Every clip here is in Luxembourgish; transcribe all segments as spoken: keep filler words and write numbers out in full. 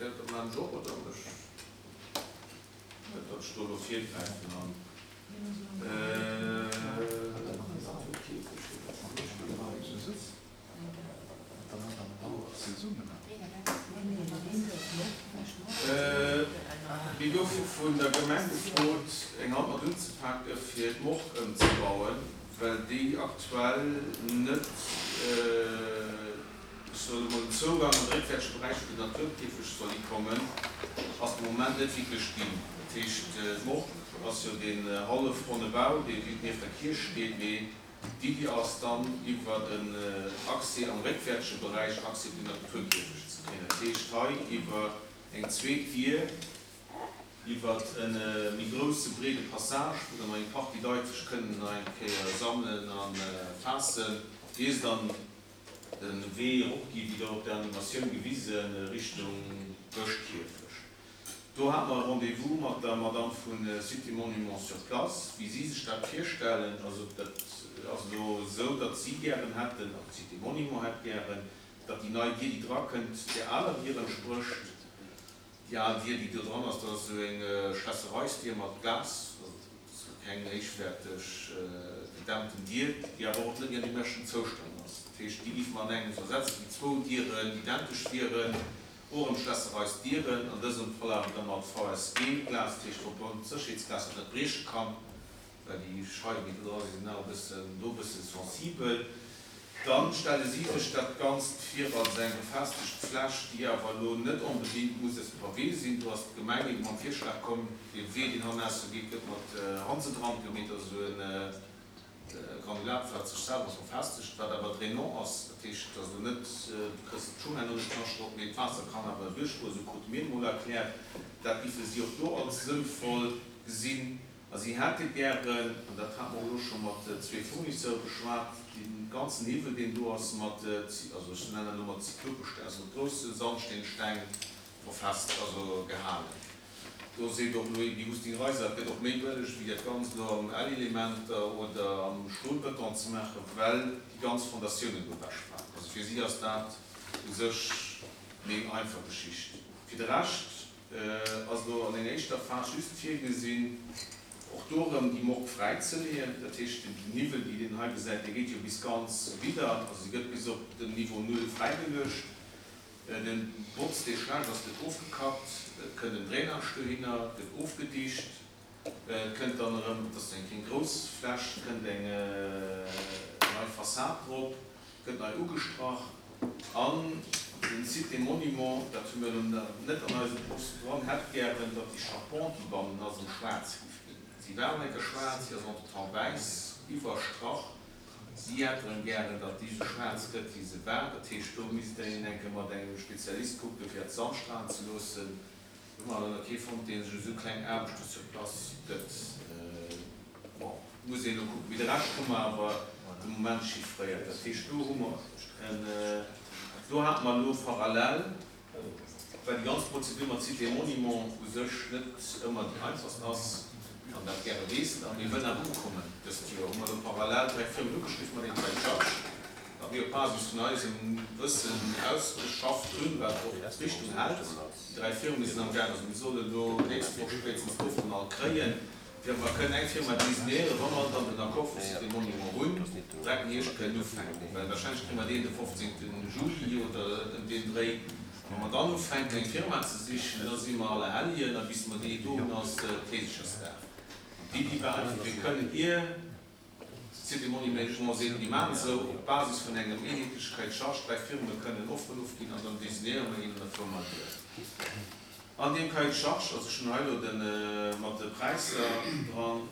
Dat man ech och, oder ech dat ech do elo virgräifen an Mir goufe vun der Gemeng gefrot, eng Hand mat unzepake fir d'Morgue ëmzebauen, well déi aktuell net, ech soen emol, den Zougang an de réckwäertege Beräich vun den Naturkäfeg soll hikommen, ass de Moment net wierklech ginn. Dat heescht, d'Morgue ass jo deen hallefronne Bau, dee nieft der Kierch steet, mee d'Iddi ass dann, iwwer en Accès am réckwäertege Beräich Accès op den Naturkäfeg ze kréien. Dat heescht, hei iwwer eng zweet Dier, iwwer e méi grousse breede Passage, wou dann nach eng Partie Leit sech kënnen nach eng Kéier sammelen a faassen, ier se dann de Wee eropgi wéi do op der Animatioun gewisen, Richtung Bëschkierfecht. Do hate mer e Rendez-vous mat der Madame vu Cité Monuments sur place, wéi si sech dat virstellen. Also dat ass elo esou, datt si gären hätten, also d'Cité Monuments hätt gären, datt déi nei Dier, déi drakënnt, där aler Dier entsprécht. Déi al Dier, déi do dran ass, dat ass esou eng Schlässereisdier mat Glas, also dat ass keng héichwäerteg gedämmten Dier, déi awer och net méi an deem beschten Zoustand ass. Dat heescht, déi géife mer an engems ersetzen, déi zwou Dieren identesch wieren, och erëm Schlässereisdieren, an dësem Fall awer da mat V S G-Glas, dat heescht Verbundsécherheetsglas, dat net brieche kann, well déi Scheiwen, déi do dra sinn, sinn awer e bëssen, do e bësse sensibel. Dann stelle si sech dat Ganzt vir als eng befestegt Fläch, déi awer elo net onbedéngt muss aus Pavé sinn. Do ass d'Gemeng ebe mam Virschlag komm, dee Wee, deen hannausser geet, gëtt mat Hansedrank gemeet, also esou e Granulat, wat sech selwer verfestegt, wat awer drainant ass. Dat heescht also net, du kriss d'Schungänn net Knascht drop, mee d'Waasser kann awer duerchgoen, esou krute mir emol erkläert. Dat géife si och do als sënnvoll gesinn. A si hätte gären, an dat hate mer elo scho mat zwee Fournisseure beschwat, dee ganzen Niwwel, deen do ass, mat, also ech nennen dat elo mat Zyklopesteng, also mat grousse Sandsteensteng verfest, also gehalen. Do seet och elo déi Husting Reiser, et gëtt och méi bëlleg, wéi dat Ganzt elo am L-Elementer oder am Stolbeton ze maachen, well déi ganz Fondatiounen do ewechfalen. Also fir si ass dat u sech méi eng einfach Geschicht. Fir de Rescht ass elo an enger éischter Phas just virgesinn, och do erëm déi Morgue fräizeleeën. Dat heescht, den Niwwel, déi een hei gesäit, dee geet jo bis ganz widder, also se gëtt bis op den Niveau null fräigeluecht. De Botz, dee schlecht ass, gëtt ofgekappt, et kënnt en Drainage dohinner, et gëtt ofgedicht, et kënnt dann erëm, et ass eng keng grouss Fläch, et kënnt eng nei Fassad drop, gëtt nei ugestrach. An den Site des Monuments, dat hu mir elo net an eisem Post dran, hätt gären, datt déi Charpente, déi bannen ass, erëm schwaarz géif ginn. Si war eng Kéier schwaarz, si ass entretemps wäiss iwwerstrach. Si hätt erëm gären, datt déi esou schwaarz gëtt, wéi se war. Dat heescht, do misst een eng Kéier mat engem Spezialist kucken, fir dat z'anstrahlen ze loossen. Do hu mer awer nach kee fonnt, dee sech esou kleng Aarbechte sur place gëtt. Bon, muss een elo kucken. Mee de Rescht hu mer awer de Moment chiffréiert. Dat heescht, do hu mer en, do hate mer elo parallel, well déi ganz Prozedur mat Sites et Monuments u sech net ëmmer déi einfachst ass, an dat gäre weess, a mir wëllen awer ukommen dëst Joer, hu mer elo parallel dräi Firmen ugeschriwwen, mat deenen dräi Chargen, wat mir op Basis vun eisem Wëssen ausgeschafft hunn, wat och d'Richtung hält. Déi dräi Firme sinn amgaang, also mir sollen elo d'nächst Woch spéitstens d'Offeren all kréien, fir mer kënnen eng Firma designéieren, wa mer dann den Accord vu Sites et Monuments hunn, direkt den Hierscht kënnen ufänken, well wahrscheinlech kréie mer deen de fofzéngten Juli oder ëm deen Dréi. Wa mer dann ufänken eng Firma ze sichen, da si mer Allerhelljen a bis mer déi do hunn, ass Kleesechersdag. An d'Iddi war einfach, mir kënnen ier d'Cité Monuments seet, mir maachen esou, op Basis vun engem eenheetleche Cahier de charges dräi Firme kënnen Offeren ofginn an dann designéiere mer een an da fuere mer duer. An deem Cahier de charges, also ech hunn hei elo de mat de Präisser dran,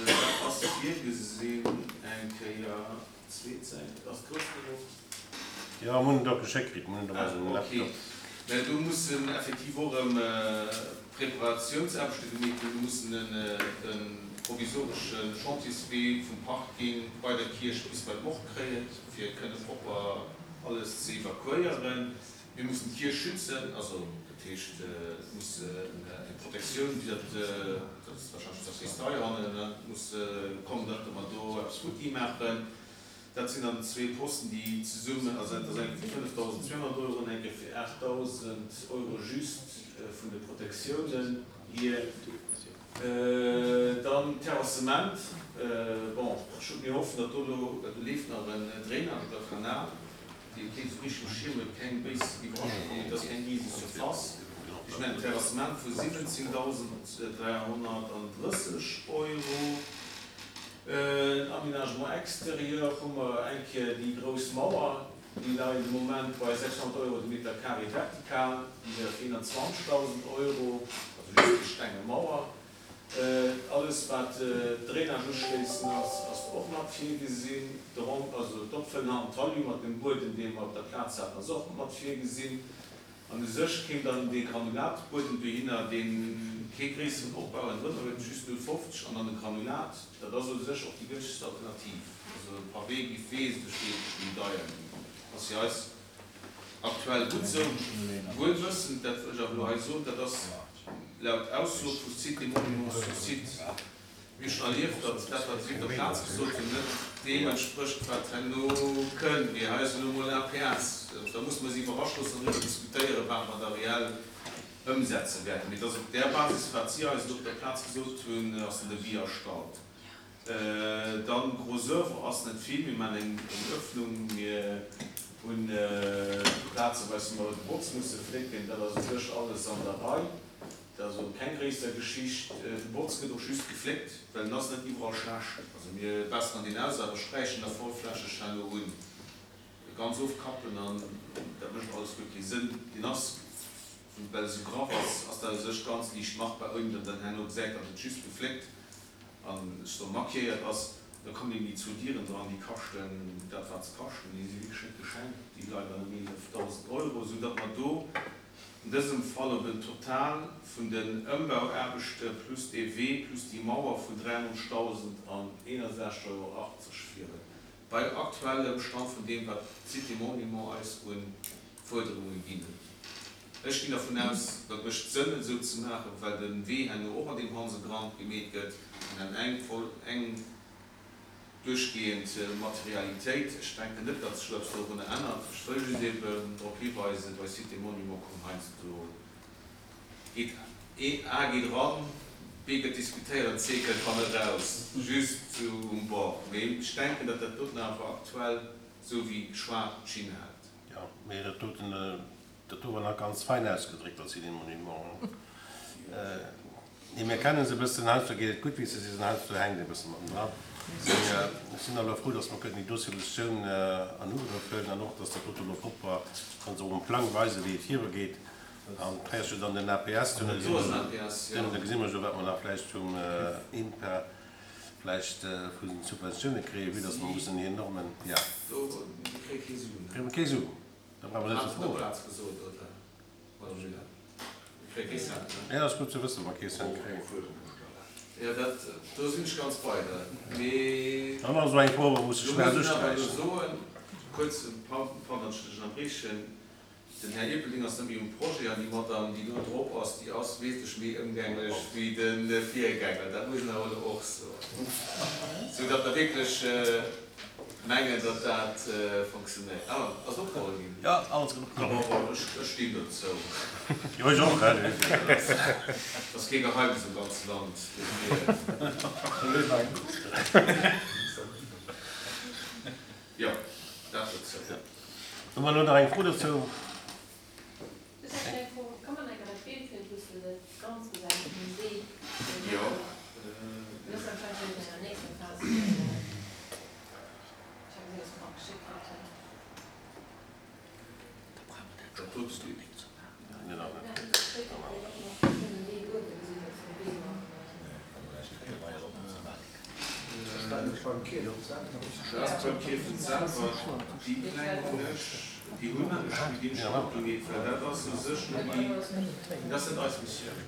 dat ass virgesinn eng Kéier, zweet Säit, ass grouss genuch? Jo, mir hunn en der geschéckt kritt, mir hunn en op eisem Laptop. Mä do mussen effektiv och erëm Preparatiounsaarbechte gemeet ginn. Do mussen e provisoresche Chantierswee vum Parking bei der Kierch bis bei d'Morgue kréien, fir kënne propper alles ze evakuéieren. Mir mussen d'Kierch schützen, also dat heescht, et muss eng Protektioun, wéi dat, dat ass warscheinlech d'Sakristei hannen, muss kommen, datt mer do eppes futti maachen. Dat sinn dann zwee Posten, déi zesummen, also dat ass eng Kéier fir fënnefdausendzweehonnert Euro an eng Kéier fir aachtdausend Euro just vun de Protektiounen hier. Dann Terrassement, bon, ech mir hoffen, datt do elo, well do leeft nach en Drainage oder Kanal, dee keen esou richteg um Schierm huet, keng béis Iwwerraschung kommt, et ass keng rise Surface. Ech mengen Terrassement vu siwwenzéngdausend dräihonnertandrësseg Euro. Aménagement extérieur hu mer eng Kéier déi grouss Mauer, déi läit de Moment bei sechshonnert Euro de Meter carré vertikal, déi wär eenanzwanzegdausend Euro, also just déi stenge Mauer. Alles wat Drainage uschléissen ass, ass och mat virgesinn. De Rond, also d'Opfëllen am Talus mat dem Buedem, dee mer op der Plaz haten, ass och mat virgesinn. An u sech kéim dann dee Granulatbuedem dohinner, dee kee gréisseren Opbau ënnendrënner huet, just null fofzeg an dann de Granulat. Dat ass u sech och déi gënschtegst Alternativ. Also Pavé giff wesentlech, wesentlech méi deier ginn. Ass fir eis aktuell gutt esou. Wuel wëssend, dat wëll ech awer elo hei soen, dat ass laut Ausso vu Sites et Monuments sur site, mir hu schonn erlieft, datt dat, wat si op der Plaz gesot hunn, net deem entsprécht, wat herno kënnt. Mee hei ass elo emol A P S. Da musse mer si iwwerrascht loossen an driwwer diskutéieren, wat mer da reell ëmsetze wäerten. Mee et ass op där Basis, wat si eis elo op der Plaz gesot hunn, ass den Devis erstallt. Dann gros œuvre ass net vill. Mir maachen eng Öffnung, mir hunn plazeweis mer de Botz musse flécken. Dat ass u sech alles an der Rei. Dat ass och keng gréisser Geschicht. De Botz gëtt och just gefléckt, well en ass net iwwerall schlecht. Also mir besseren deen aus, awer sträichen da vollflächeg herno un. Ganz ofkappen an dat mécht alles guer kee Sënn. Deen ass, well e sou graff ass, ass dat u sech ganz liicht machbar, ouni datt een herno gesäit, datt et just gefléckt an ech soe maquilléiert ass. Da kommen eben déi zwou Dieren dran, déi kaschten dat wat se kaschten, déi si wierklech net geschenkt, déi leie bei ëm eelefdausend Euro, sou datt mer do an dësem Fall op en Total vun den Ëmbauaarbechte plus dee Wee plus déi Mauer vun dräiannonzegdausend an eenasechzeg Euro achtzeg fieren. Bei aktuellem Stand vun deem, wat d'Sites et Monuments eis u Fuerderunge ginn huet. Ech ginn dervun aus, dat mécht Sënn, et esou ze maachen, well de Wee herno och an deem Hansegrand gemeet gëtt an dann eng voll eng duerchgehend Materialitéit. Ech denken net, datt sech do eppes dorunner ännert. Ech wëll just eben drop hiweisen, bei Sites et Monuments kommen heiansdo geet A geet eran, B gëtt diskutéiert an C kënnt hanne raus, just sou um Bord. Mee ech denken, datt dat doten awer aktuell, sou wéi geschwat, d'Schinn hält. Jo, mee dat doten, dat do war nach ganz fein ausgedréckt als Sites et Monuments. Nee, mir kennen se e bëssen, heiansdo geet et gutt, wéi s de sees, an heiansdo hänkt e bësse matten dran. Mee ech sinn awer frou, datt mer kënnen déi do Solutioun an Ugrëff huelen an och, datt dat dote elo propper, kann se och um Plang weisen, wéi et virugeet. An kréiers du dann den A P S, Do ass en A P S, jo. Da gesi mer jo, wat mer nach vläicht vum INPA vläicht vu den Subventioune kréien, vue datt mer mussen enormen, ja. Do kréie kee Suen. Kréie mer kee Su, da brauche mer net Hat ze op der froen. Plaz gesot, oder? Madame Julia. Mir kréie kee Cent, ne? Ja, ass gutt ze wëssen, wa mer kee Cent kréien. Ja, dat, do sinn ech ganz bei der. Mee Dann ass esou eng Fro, wou muss do ech schnell muss een awer elo usträichen. soen, kuerz, pardon, datt ech dech ënnerbriechen, den Här Erpelding ass net méi um Projet an déi Madame, déi do drop ass, déi ass wesentlech méi ëmgänglech wéi de Virgänger. Dat muss een awer elo och soen. Sou datt mer wierklech mengen, datt dat funktionéiert. Ah, ass opgeholl ginn? Ja, alles gëtt opgeholl. Bon, ech, ech stinn dozou. Jo, ech och, hè. Dat ass kee Geheimnis am ganze Land. Dofir. Jo, dat dozou. Hu mer elo nach eng Fro dozou? Just eng kleng Fro, Kann man enker dat Bild hunn, wou s de dat ganz gesäis vum See? Jo. Dat ass anscheinend schon an der nächster Phas. Ech hat gesinn, dass mer nach geschickt kritt hunn. Dat dote Bild. Nee, nach net. Nein, dat steet och nach den Wee uewe gesinn, dass den Wee nach. Dat ass beim Kierfent selwer. Déi Pläng hunn ech, déi hunn ech, déi ginn ech och gemeet, well dat ass u sech net déi, dat ass net eis Missioun.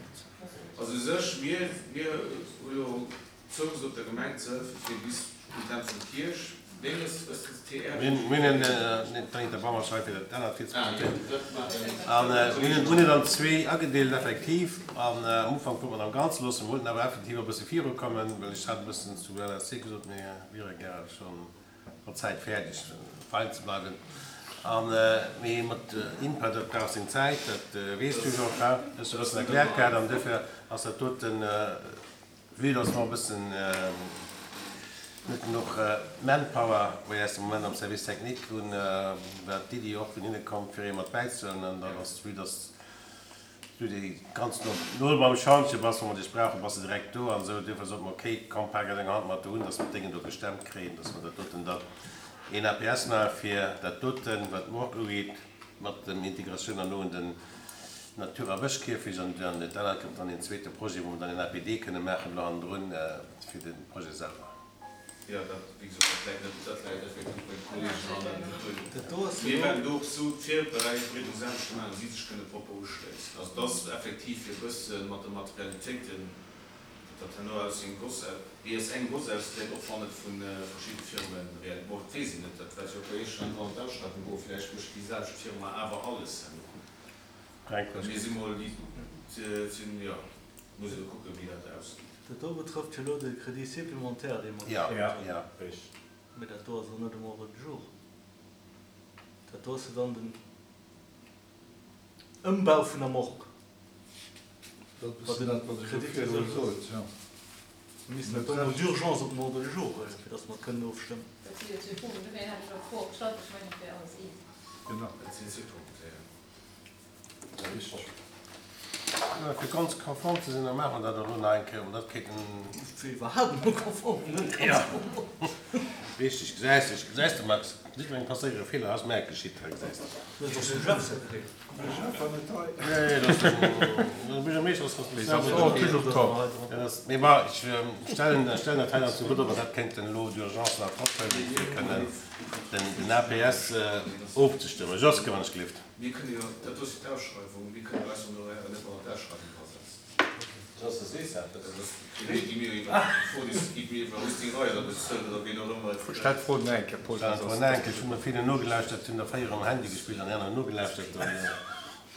Also u sech, mir, mir hu jo zougesot, der Gemeng ze hëllefen, fir bis un d'Enn vun Kierch, Menges Wëssens T R. Mir hunn d'Anita Bauer hei fir dat anert Bild ze Ah, jo, presentéieren. dat maachen. An mir hunn et an zwee agedeelt effektiv. An am Ufank wollte mer am Ganze loossen, mir wollten awer effektiv e bësse virukommen, well ech hat e bëssen zu L S C gesot, mir wiere gäre schonn mat Zäit fäerdeg, fein ze bleiwen. An mee mat INPA, dat brauch seng Zäit, dat weess du jo, dat hues du e bëssen erkläert gehat. An duerfir ass dat doten, vue dass mer e bëssen net genuch Manpower wéi eis de Moment am Service technique hunn, war d'Iddi och vun hinne komm, fir ee mat bäizehuelen. An dann ass, vue dass du déi ganz no no beim Schantje bass, wa mer dech brauchen, bass de direkt do an esou. Duerfir sote mer, okay, komm, pak eis eng Hand mat do un, dass mer d'Déngen do gestemmt kréien, dass mer dat doten dann een A P S maache fir dat doten, wat d'Morgue ugeet, mat dem Integratioun herno un den Natur a Bëschkierfecht. An dann dat anert kënnt dann een zweete Projet, wou mer dann een A P D kënne maachen elo hannendrun fir de Projet selwer. Jo, dat, wéi gesot, dat läit net, dat läit effektiv bei de Kolleegen hannen. Dat do ass Mir jo. wäerten do och esou d'Virbereedungsaarbechte maachen, datt si sech kënne propper uschléissen. Also et ass effektiv fir e bësse mat de Materialitéiten, datt dat herno aus sengem Goss, wéi aus engem Goss ausgesäit, och wann et vu verschidde Firme real, bon, dat weess een net, dat wäert jo och bei Iech herno an d'Ausschreiwung goen, vläicht mécht déi selwecht Firma awer alles herno. Frank, Mir si mol déi, sinn, jo, muss ee kucken, wéi dat ausgeet. Dat do betrëfft jo elo de Crédit supplémentaire, dee mer Ja, gekritt hunn. ja. Richtig. Mee dat do ass och net um Ordre du jour. Dat do ass jo dann den Ëmbau vun der Morgue. Dat Wat ass den dat, wat ech jo Crédit virdru reserve gesot, ja. Mir missten dat do mol d'urgence op den Ordre du jour huelen, fir datt mer et kënnen ofstëmmen. Dat si jo zwee Punkten, dofir hat ech och d'Fro gestallt, ech mengen, et wär alles eent. Genau. Dat sinn zwee Punkte, ja. Richtig. Ja, fir ganz konform ze sinn, da maache mer dat elo nach eng Kéier, an dat kéint en. Fir iwwerhaapt emol konform, net ganz Ja. konform. Richtig, gesäis de, gesäis de, Max, jiddwerengem passéiere Feeler, ass mär geschitt hei, gesäis de. Dat ass och dem Jeff säi Feeler. De Jeff war net hei. Nee, dat ass den, den Buergermeeschter ass Les responsabel enfants dofir. toujours tort. Dat ass, mee bon, ech stellen, stellen dat hei dann zu Gutt, ob mer dat kéinten elo d'urgence nach drophuelen, fir kënnen den, den A P S ofzestëmmen. Joske, wann ech gelift. Mir kënne jo, dat do ass jo d'Ausschreiwung, mir kënnen eis Honorairen net mat an d'Ausschreiwung drasetzen. Joske, sees dat? Dat ass, déi gi mir iwwer, d'Fro, déi gi mir iwwer Rüsting Reiser bezuelt oder wien och ëmmer. Stell d'Fro nach eng Kéier, Paul, Stell dat d'Fro ass nach eng Kéier. Ech hunn der villen nogelauschtert, hunn der véier am Handy gespillt an déi aner nogelauschtert. An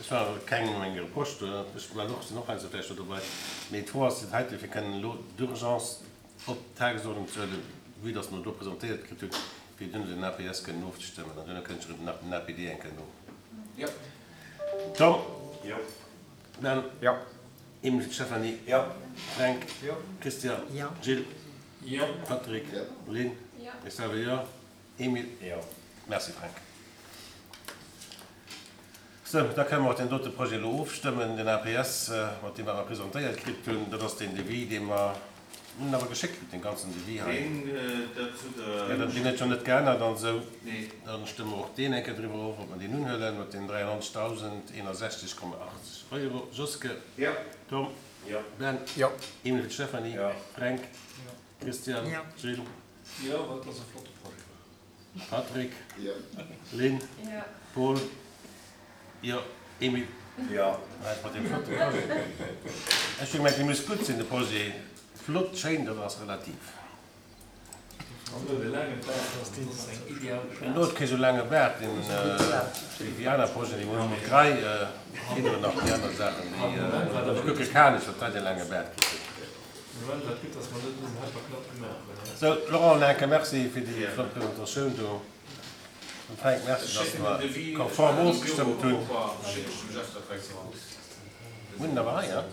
ech war kengem eng Reproche do, ech war och, sinn och heiansdo vläicht do dobäi. Mee d'Fro ass heite, fir kënnen elo d'urgence op d'Tagesordnung ze huelen, vue dass mer do presentéiert kritt hunn, fir duerno den A P S kënnen ofzestëmmen. An duerno kënnt schon nach den A P D eng Kéier no. Ja. Tom? Jo. Ben? Ja. Emil, Stéphanie? Ja. Frank? Jo. Christian? Ja. Gilles? Jo. Patrick? Ja. Lynn? Ja. Ech selwer jo. Emil? Jo. Merci, Frank. Sou, da kënnen mer och deen dote Projet elo ofstëmmen, den A P S, mat deem mer presentéiert kritt hunn. Dat ass deen Devis, dee mer hunn awer geschéckt kritt, dee ganzen Devis hei. Deen, dat hutt Ja, Der. dat deen huet jo net geännert an esou. Nee. Dann stëmme mer och deen eng Kéier driwwer of, ob mer deen unhuelen, mat den dräiannonzegdausend eenasechzeg Komma achtzeg Euro. Joske? Ja. Tom? Ja. Ben? Jo. Emil, Stéphanie? Ja. Frank? Christian? Ja. Gilles? Jo, well dat ass e flotte Projet. Patrick? Ja. Lynn? Ja. Paul? Jo. Emil? Ja. Wat mat deem flotte Projet? Ech hu gemengt, dee muss gutt sinn, de Projet. Flott, schéin, dat ass relativ. An huet e laange Baart, dat ass eng ideal En huet kee sou laange Baart, deen déi aner Projeten, déi hunn mat Grei, ginn oder nach déi aner Saachen, déi ech kucke kanesch, wat dat dee laange Baart kritt huet. Moment wat gutt, dass mer net dësen Helper knapp gemaach hunn. Sou, Laurent, nach eng Kéier Merci fir déi flott Presentatioun do. An Frank, Merci, Ech dass schécken mer den Devis, konform ech ofgestëmmt hunn. Schécken ech dem Jeff dat direkt raus. Hunn awer hei, ja?